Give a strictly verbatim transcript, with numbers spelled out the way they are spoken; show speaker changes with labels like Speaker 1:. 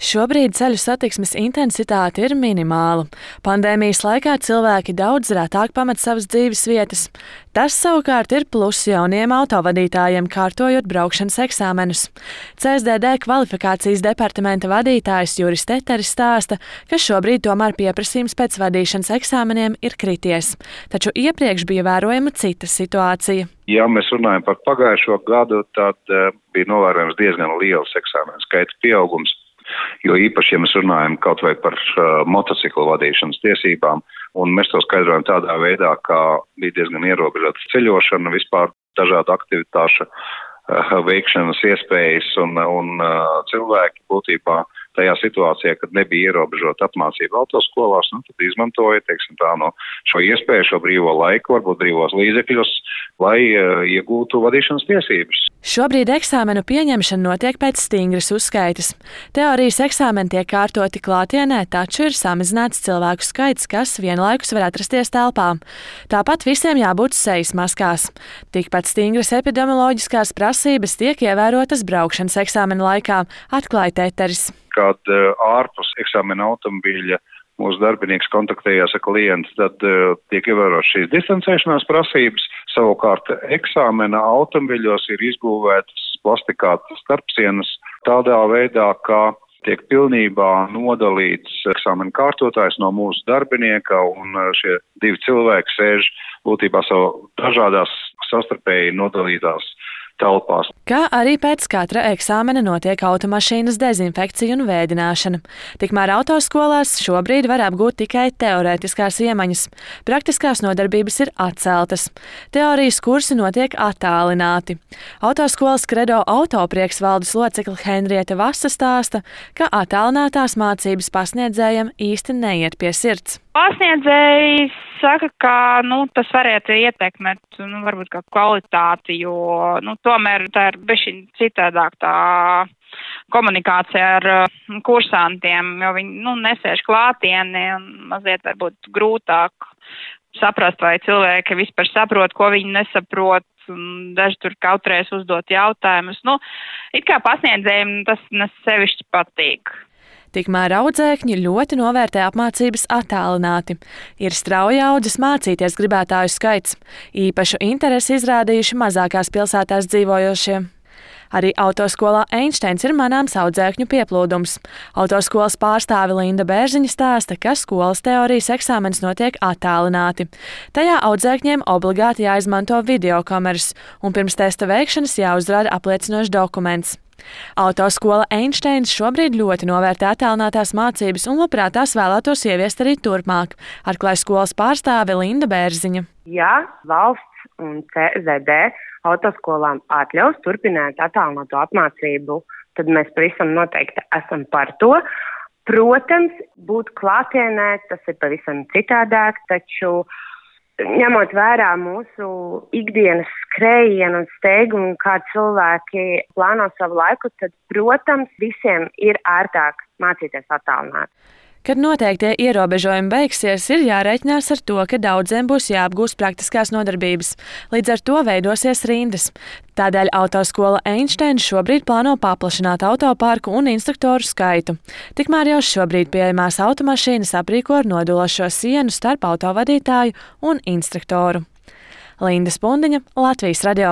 Speaker 1: Šobrīd ceļu satiksmes intensitāte ir minimāla. Pandēmijas laikā cilvēki daudz retāk pamet savas dzīves vietas. Tas savukārt ir pluss jauniem autovadītājiem, kārtojot braukšanas eksāmenus. C S D D kvalifikācijas departamenta vadītājs Juris Teteris stāsta, ka šobrīd tomēr pieprasījums pēc vadīšanas eksāmeniem ir krities. Taču iepriekš bija vērojama cita situācija.
Speaker 2: Ja mēs runājam par pagājušo gadu, tad uh, bija novērojams diezgan liels eksāmenu skaita pieaugums. Jo īpaši, ja mēs runājam kaut vai par uh, motociklu vadīšanas tiesībām, un mēs to skaidrojam tādā veidā, ka bija diezgan ierobežota ceļošana, vispār dažādu aktivitāšu uh, veikšanas iespējas, un, un uh, cilvēki būtībā tajā situācijā, kad nebija ierobežota apmācība autoskolās, nu, tad izmantoja, teiksim tā, no šo iespēju, šo brīvo laiku, varbūt brīvos līdzekļus, lai uh, iegūtu vadīšanas tiesības.
Speaker 1: Šobrīd eksāmenu pieņemšana notiek pēc stingras uzskaitas. Teorijas eksāmeni tiek kārtoti klātienē, taču ir samazināts cilvēku skaits, kas vienlaikus var atrasties telpā. Tāpat visiem jābūt sejas maskās. Tikpat stingras epidemioloģiskās prasības tiek ievērotas braukšanas eksāmena laikā, atklāja Teteris.
Speaker 2: Kad uh, ārpus eksāmena automobīļa mūsu darbinieks kontaktējās ar klientu, tad uh, tiek ievērotas šīs distancēšanās prasības. Savukārt eksāmena automobiļos ir izbūvētas plastikātas starpsienas tādā veidā, ka tiek pilnībā nodalīts eksāmena kārtotājs no mūsu darbinieka, un šie divi cilvēki sēž būtībā savu dažādās sastarpēji nodalītās telpās.
Speaker 1: Kā arī pēc katra eksāmena notiek automašīnas dezinfekcija un vēdināšana. Tikmēr autoskolās šobrīd var apgūt tikai teorētiskās iemaņas. Praktiskās nodarbības ir atceltas. Teorijas kursi notiek attālināti. Autoskolas Kredo autoprieks valdes locekle Henriete Vasa stāsta, ka attālinātās mācības pasniedzējiem īsti neiet pie sirds.
Speaker 3: Pasniedzēji saka, ka nu, tas varētu ietekmēt nu, varbūt kā kvalitāti, jo nu, tomēr tā ir bišķiņ citādāk tā komunikācija ar uh, kursantiem, jo viņi nu, nesēž klātieni un mazliet varbūt grūtāk saprast, vai cilvēki vispār saprot, ko viņi nesaprot. Un daži tur kautrēs uzdot jautājumus. Nu, it kā pasniedzējiem tas nesevišķi patīk.
Speaker 1: Tikmēr audzēkņi ļoti novērtē apmācības attālināti. Ir strauji audzis mācīties gribētāju skaits. Īpašu interesi izrādījuši mazākās pilsētās dzīvojošie. Arī autoskolā Einsteins ir manāms audzēkņu pieplūdums. Autoskolas pārstāve Linda Bērziņa stāsta, ka skolas teorijas eksāmenis notiek attālināti. Tajā audzēkņiem obligāti jāizmanto videokameras, un pirms testa veikšanas jāuzrāda apliecinošs dokuments. Autoskola Einsteins šobrīd ļoti novērtē attālinātās mācības un labprāt tās vēlētos ieviest arī turpmāk, atklāja skolas pārstāve Linda Bērziņa.
Speaker 4: Ja valsts un C S D D autoskolām atļaus turpināt attālināto apmācību, tad mēs pavisam noteikti esam par to. Protams, būt klātienē, tas ir pavisam citādāk, taču ņemot vērā mūsu ikdienas skrējienu un steigumu, kā cilvēki plāno savu laiku, tad, protams, visiem ir ērtāk mācīties attālināt.
Speaker 1: Kad noteiktie ierobežojumi beigsies, ir jārēķinās ar to, ka daudziem būs jāapgūst praktiskās nodarbības. Līdz ar to veidosies rindas. Tādēļ autoskola Einsteins šobrīd plāno paplašināt autoparku un instruktoru skaitu. Tikmēr jau šobrīd pieejamās automašīnas aprīko ar nodulošo sienu starp autovadītāju un instruktoru. Linda Spundiņa, Latvijas radio.